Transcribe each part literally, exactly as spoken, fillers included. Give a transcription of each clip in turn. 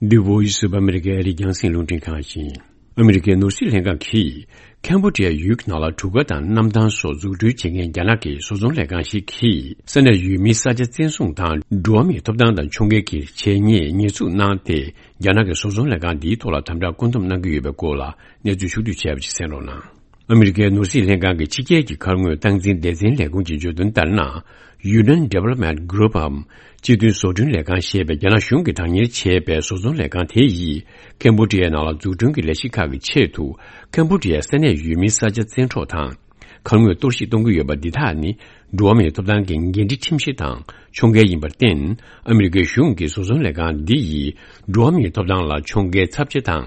The Voice of America ཨ་རིའི་རྒྱང་སྲིང་རླུང་འཕྲིན་ཁང་ཡིན། ཨ་མི་རི་ཀའི་ནོར་སྲིད་ལྷན་ཁང་གིས་ཁེམ་བྷོ་ཌི་ཡ་ཡུལ་གྱི་ནང་ལ་གྲུ་ཁ་དང་གནམ་ཐང་སོགས་འཛུགས་སྐྲུན་བྱེད་མཁན་རྒྱ་ནག་གི་བཟོ་ཚོང་ལས་ཁང་ཞིག་གིས་ས་གནས་ཡུལ་མིའི་ས་ཆ་བཙན་བཟུང་དང་འགྲོ་བ་མིའི་ཐོབ་ཐང་དང་ཕྱོགས་འགལ་གྱི་བྱས་ཉེས་ཉེས་འཛུགས་གནང་སྟེ། རྒྱ་ནག་གི་བཟོ་ཚོང་ལས་ཁང་འདིའི་ཐོག་ལ་དམ་དྲག་བཀོད་འདོམས་གནང་གི་ཡོད་པའི་སྐོར་ལ་གནས་ཚུལ་ཕྱོགས་བསྡུས་བྱས་པ་ཞིག་གསན་རོགས་གནང་། ཨ་མི་རི་ཀའི་ནོར་སྲིད་ལྷན་ཁང་གི་ཕྱི་རྒྱལ་གྱི་མཁར་དངོས་སྟངས་འཛིན་སྡེ་ཚན་ལས་ཁུངས་ཀྱིས་བརྗོད་དོན་ལྟར་ན། Union Development Group འམ་སྤྱི་མཐུན་བཟོ་སྐྲུན་ལས་ཁང་ཞེས་པའི་རྒྱ་ནག་གཞུང་གིས་བདག་གཉེར་བྱས་པའི་བཟོ་ཚོང་ལས་ཁང་དེ་ཡིས་ཁེམ་བྷོ་ཌི་ཡའི་ནང་ལ་འཛུགས་སྐྲུན་གྱི་ལས་གཞི་ཁག་གི་ཆེད་དུ། ཁེམ་བྷོ་ཌི་ཡའི་ས་གནས་ཡུལ་མིའི་ས་ཆ་བཙན་འཕྲོག་དང་། མཁར་དངོས་གཏོར་བཤིག་གཏོང་གི་ཡོད་པ་འདི་དག་ནི་འགྲོ་བ་མིའི་ཐོབ་ཐང་གི་འགན་འཁྲི་ཁྲིམས་གཞི་དང་ཕྱོགས་འགལ་ཡིན་པར་བརྟེན། ཨ་མི་རི་ཀའི་གཞུང་གིས་བཟོ་ཚོང་ལས་ཁང་འདི་ཡིས་འགྲོ་བ་མིའི་ཐོབ་ཐང་ལ་ཕྱོགས་འགལ་ཚབས་ཆེ་དང་།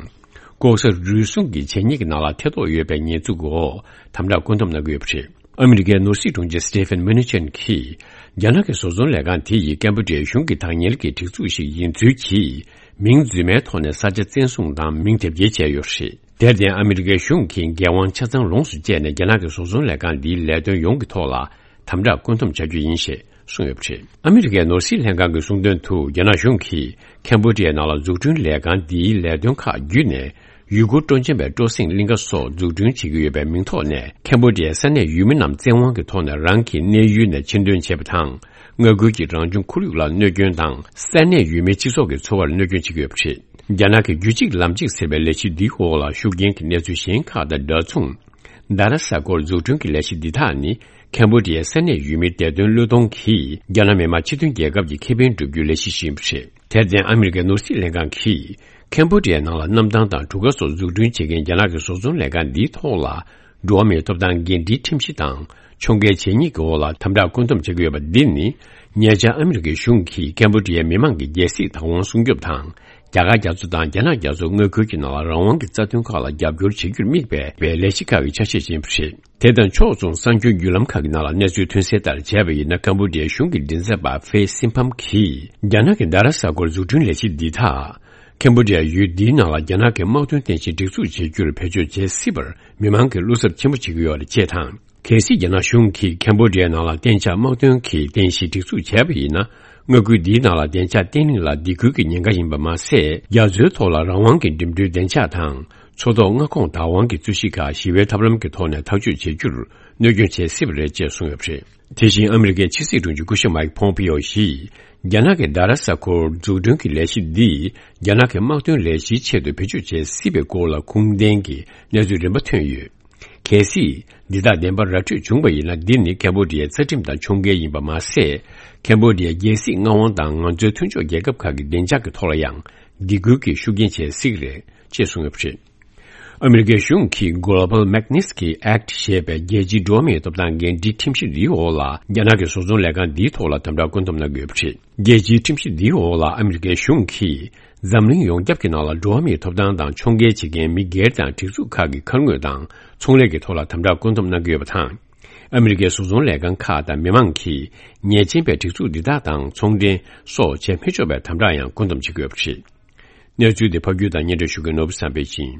ལྐོག་ཟ་རུལ་སུངས་ཀྱི་བྱས་ཉེས་ཀྱི་ནང་ལ་ཐེ་གཏོགས་ཡོད་པའི་ཉེས་འཛུགས་འོག་དམ་དྲག་བཀོད་འདོམས་གནང་གི་ཡོད་པ་རེད། ཨ་མི་རི་ཀའི་ནོར་སྲིད་དྲུང་ཆེ་Stephen Mnuchin གྱིས། རྒྱ་ནག་གི་བཟོ་ཚོང་ལས་ཁང་དེ་ཡིས་ཀེམ་བྷོ་ཌི་ཡའི་གཞུང་གི་བདག་གཉེར་གྱི་སྒྲིག་འཛུགས་ཤིག་ཡིན་ཚུལ་གྱིས། མིང་རྫུན་མའི་ཐོག་ནས་ས་ཆ་བཙན་བཟུང་དང་མིང་དེབ་སྐྱེལ་བྱས་ཡོད་པ་རེད། དེར་བརྟེན། ཨ་མི་རི་ཀའི་གཞུང་གིས་འགན་དབང་ཆ་ཚང་ལོངས་སུ་སྤྱད་ནས། རྒྱ་ནག་གི་བཟོ་ཚོང་ལས་ཁང་འདིའི་ལས་དོན་ཡོངས་ཀྱི་ཐོག་ལ་དམ་དྲག་བཀོད་འདོམས་བྱ་རྒྱུ་ཡིན་ཞེས་གསུངས་ཡོད་པ་རེད། ཨ་མི་རི་ཀའི་ནོར་སྲིད་ལྷན་ཁང་གིས་གསུངས་དོན་དུ། རྒྱ་ནག་གཞུང་གིས་ཁེམ་བྷོ་ཌི་ཡའི་ནང་ལ་འཛུགས་སྐྲུན་ལས་ཁང་འདིའི་ལས་དོན་ཁག་བརྒྱུད་ནས། ཡུལ་སྐོར་སྤྲོ་འཆམ་པའི་སྤྲོ་གསེང་གླིང་ག་སོགས་འཛུགས་སྐྲུན་བྱེད་ཀྱི་ཡོད་པའི་མིང་ཐོག་ནས། ཁེམ་བྷོ་ཌི་ཡའི་ས་གནས་ཡུལ་མི་རྣམས་བཙན་དབང་གི་ཐོག་ནས་རང་གི་གནས་ཡུལ་ནས་ཕྱིར་འདོན་བྱས་པ་དང་། མངའ་ཁུལ་གྱི་རང་བྱུང་ཁོར་ཡུག་ལ་གནོད་སྐྱོན་དང་། ས་གནས་ཡུལ་མིའི་སྤྱི་ཚོགས་ཀྱི་འཚོ་བར་གནོད་སྐྱོན་བྱེད་ཀྱི་ཡོད་པ་རེད། རྒྱ་ནག་གི་རྒྱུད་གཅིག་ལམ་གཅིག་ཟེར་བའི་ལས་གཞི་འདིའི་འོག་ལ་ཤུགས་རྐྱེན་གྱི་གནས་ཚུལ་གཞན་ཁག་དང་འདྲ་མཚུངས། རྡ་ར་ས་སྐོར་འཛུགས་སྐྲུན་གྱི་ལས་གཞི་འདི་དག་ནི། ཁེམ་བྷོ་ཌི་ཡའི་ས་གནས་ཡུལ་མིའི་བདེ་དོན་བློས་གཏོང་གིས། རྒྱ་ནག་མི་དམངས་སྤྱི་མཐུན་རྒྱལ་ཁབ་ཀྱི་ཁེ་ཕན་བསྒྲུབ་རྒྱུའི་ལས་གཞི་ཞིག་ཡིན་པ་རེད། དེར་བརྟེན། ཨ་མི་རི་ཀའི་ནོར་སྲིད་ལྷན་ཁང་གིས། ཁེམ་བྷོ་ཌི་ཡའི་ནང་ལ་གནམ་ཐང་དང་གྲུ་ཁ་སོགས་འཛུགས་སྐྲུན་བྱེད་མཁན་རྒྱ་ནག་གི་བཟོ་ཚོང་ལས་ཁང་འདིའི་ཐོག་ལ། འགྲོ་བ་མིའི་ཐོབ་ཐང་འགན་འཁྲིའི་ཁྲིམས་གཞི་དང་། ཕྱོགས་འགལ་བྱས་ཉེས་ཀྱི་འོག་ལ་དམ་དྲག་བཀོད་འདོམས་བྱེད་ཀྱི་ཡོད་པ་འདི་ནི། ཉེ་ཆར་ཨ་མི་རི་ཀའི་གཞུང་གིས་ཁེམ་བྷོ་ཌི་ཡའི་མི་མང་གི་རྒྱལ་སྲིད་བདག་དབང་སྲུང་སྐྱོབ་དང་། རྒྱ་གར་རྒྱ་མཚོ་དང་རྒྱ་ནག་རྒྱ་མཚོ་མངའ་ཁུལ་གྱི་ནང་ལ་རང་དབང་གི་རྩ་དོན་ཁག་ལ་རྒྱབ་སྐྱོར་བྱེད་རྒྱུར་དམིགས་པའི་ལས་གཞི་ཁག་གི་ཆ་ཤས་ཤིག་ཡིན་པ་རེད། དེ་དང་ཕྱོགས་མཚུངས། གསར་འགྱུར་བརྒྱུད་ལམ་ཁག་གི་ནང་ལ་གནས་ཚུལ་ཐོན་གསལ་ལྟར་བྱས་པ་ཡིན་ན། ཁམ་བྷོ་ཌི་ཡའི་གཞུང་གི་མགྲིན་ཚབ་པ་ཧྥེ་སིན་ཕམ་གྱིས། རྒྱ་ནག་གི་རྡ་ར་ས་ཁུལ་འཛུགས་སྐྲུན་ལས་གཞི་འདི་དག་ཁམ་བྷོ་ཌི་ཡ་ཡུལ་འདིའི་ནང་ལ་རྒྱ་ནག་གི་དམག་དོན་རྟེན་གཞི་སྒྲིག་འཛུགས་བྱེད་རྒྱུར་བེད་སྤྱོད་བྱེད་སྲིད་པར་མི་མང་གིས་བློ་འཚབ་ཆེན་པོ་བྱེད་ཀྱི་ཡོད་རེད་ཅེས་དང་། གལ་སྲིད་རྒྱ་ནག་གཞུང་གིས་ཁམ་བྷོ་ཌི་ཡའི་ནང་ལ་གཏན་འཇགས་དམག་དོན་གྱི་རྟེན་གཞི་སྒྲིག་འཛུགས་བྱས་པ་ཡིན་ན། མངའ་ཁུལ་འདིའི་ནང་ལ་བདེ་འཇགས་བརྟན་ལྷིང་ལ་སྡིགས་སྐུལ་གྱི་ཉེན་ཁ་ཡིན་པ་མ་ཟད། རྒྱ་མཚོའི་ཐོག་ལ་རང་དབང་གི་འགྲིམ་འགྲུལ་བདེ་འཇགས་དང་། མཚོ་ཐོག་མངའ་ཁོངས་བདག་དབང་གི་རྩོད་གཞི་ཁག་ཞི་བའི་ཐབས་ལམ་གྱི་ཐོག་ནས་ཐག་གཅོད་བྱེད་རྒྱུར་གནོད་སྐྱོན་བྱེད་སྲིད་པ་རེད་ཅེས་གསུངས་ཡོད་པ་རེད། དེ་བཞིན་ཨ་མི་རི་ཀའི་ཕྱི་སྲིད་དྲུང་ཆེ་སྐུ་ཞབས་མའིག་ཕོམ་པིའོ་ཡིས། རྒྱ་ནག་གི་རྡ་ར་ས་ཁུལ་འཛུགས་སྐྲུན་གྱི་ལས་གཞི་འདིས་རྒྱ་ནག་གི་དམག་དོན་ལས་གཞིའི་ཆེད་དུ་བེད་སྤྱོད་བྱེད་སྲིད་པའི་སྐོར་ལ་ཁུངས་ལྡན་གྱི་གནས་ཚུལ་རིམ་པ་ཐོན་ཡོད། གལ་སྲིད་འདི་དག་བདེན་པར་ར་འཕྲོད་བྱུང་བ་ཡིན་ན། འདི་ནི་ཁམ་བྷོ་ཌི་ཡའི་རྩ་ཁྲིམས་དང་ཕྱོགས་འགལ་ཡིན་པ་མ་ཟད། ཁམ་བྷོ་ཌི་ཡའི་རྒྱལ་སྲིད་མངའ་དབང་དང་ང་ཚོའི་མཐུན་ཕྱོགས་རྒྱལ་ཁབ་ཁག་གི་བདེ་འཇགས་ཀྱི་ཐོག་ལ་ཡང་སྡིགས་སྐུལ་གྱི་ཤུགས་རྐྱེན་བྱེད་སྲིད་ཀྱི་རེད་ཅེས་གསུངས་ཡོད་པ་རེད། ཨ་མི་རི་ཀའི་གཞུང་གིས་Global Magnitsky Act ཞེས་པའི་རྒྱལ་སྤྱིའི་འགྲོ་བ་མིའི་ཐོབ་ཐང་འགན་འཁྲིའི་ཁྲིམས་གཞི་འདིའི་འོག་ལ། རྒྱ་ནག་གི་བཟོ་ཚོང་ལས་ཁང་འདིའི་ཐོག་ལ་དམ་དྲག་བཀོད་འདོམས་གནང་གི་ཡོད་པ་རེད། རྒྱལ་སྤྱིའི་ཁྲིམས་གཞི་འདིའི་འོག་ལ་ཨ་མི་རི་ཀའི་གཞུང་གིས་འཛམ་གླིང་ཡོངས་ཁྱབ་ཀྱི་ནང་ལ་འགྲོ་བ་མིའི་ཐོབ་ཐང་དང་ཕྱོགས་འགལ་བྱེད་མཁན་མི་སྒེར་དང་སྒྲིག་འཛུགས་ཁག་གི་མཁར་དངོས་དང་ཚོང་ལས་ཀྱི་ཐོག་ལ་དམ་དྲག་བཀོད་འདོམས་གནང་གི་ཡོད་པ་དང་། ཨ་མི་རི་ཀའི་བཟོ་ཚོང་ལས་ཁང་ཁག་དང་མི་མང་གིས་ཉེས་ཅན་པའི་སྒྲིག་འཛུགས་འདི་དག་དང་ཚོང་འབྲེལ་སོགས་བྱེད་མི་ཆོག་པའི་དམ་དྲག་ཡང་བཀོད་འདོམས་བྱེད་ཀྱི་ཡོད་པ་རེད། གནས་ཚུལ་འདི་ཕབ་སྒྱུར་དང་སྙན་སྒྲོན་ཞུ་མཁན་ནོར་བུ་བསམ་འཕེལ་ཡིན།